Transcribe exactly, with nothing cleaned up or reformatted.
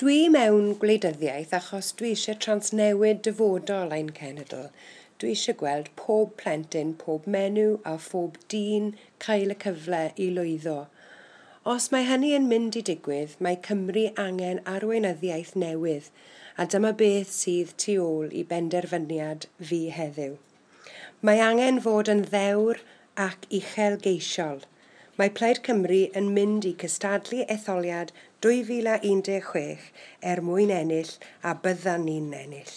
Dwi mewn gwleidyddiaeth achos dwi eisiau transnewid dyfodol ein cenedl. Dwi eisiau gweld pob plentyn, pob menyw a phob dyn cael y cyfle i lwyddo. Os mae hynny yn mynd i digwydd, mae Cymru angen arweinyddiaeth newydd, a dyma beth sydd tu ôl i benderfyniad fi heddiw. Mae angen fod yn ddewr ac uchelgeisiol. Mae Plaid Cymru yn mynd i cystadlu etholiad dwy fil a un deg chwech er mwyn ennill, a byddan ni'n ennill.